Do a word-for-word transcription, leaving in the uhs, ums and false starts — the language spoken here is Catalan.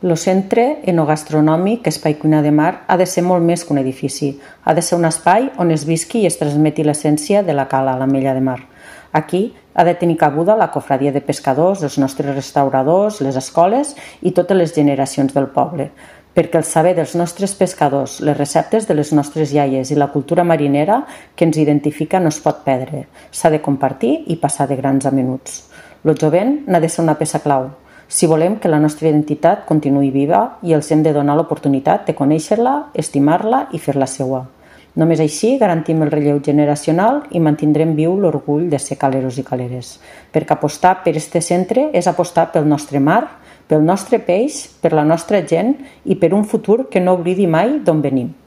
El centre enogastronòmic Espai Cuina de Mar ha de ser molt més que un edifici. Ha de ser un espai on es visqui i es transmeti l'essència de la cala, l'Ametlla de Mar. Aquí ha de tenir cabuda la cofradia de pescadors, els nostres restauradors, les escoles i totes les generacions del poble, perquè el saber dels nostres pescadors, les receptes de les nostres iaies i la cultura marinera que ens identifica no es pot perdre. S'ha de compartir i passar de grans a menuts. El jovent n'ha de ser una peça clau, si volem que la nostra identitat continuï viva i els hem de donar l'oportunitat de conèixer-la, estimar-la i fer-la seua. Només així garantim el relleu generacional i mantindrem viu l'orgull de ser caleros i caleres, perquè apostar per este centre és apostar pel nostre mar, pel nostre peix, per la nostra gent i per un futur que no oblidi mai d'on venim.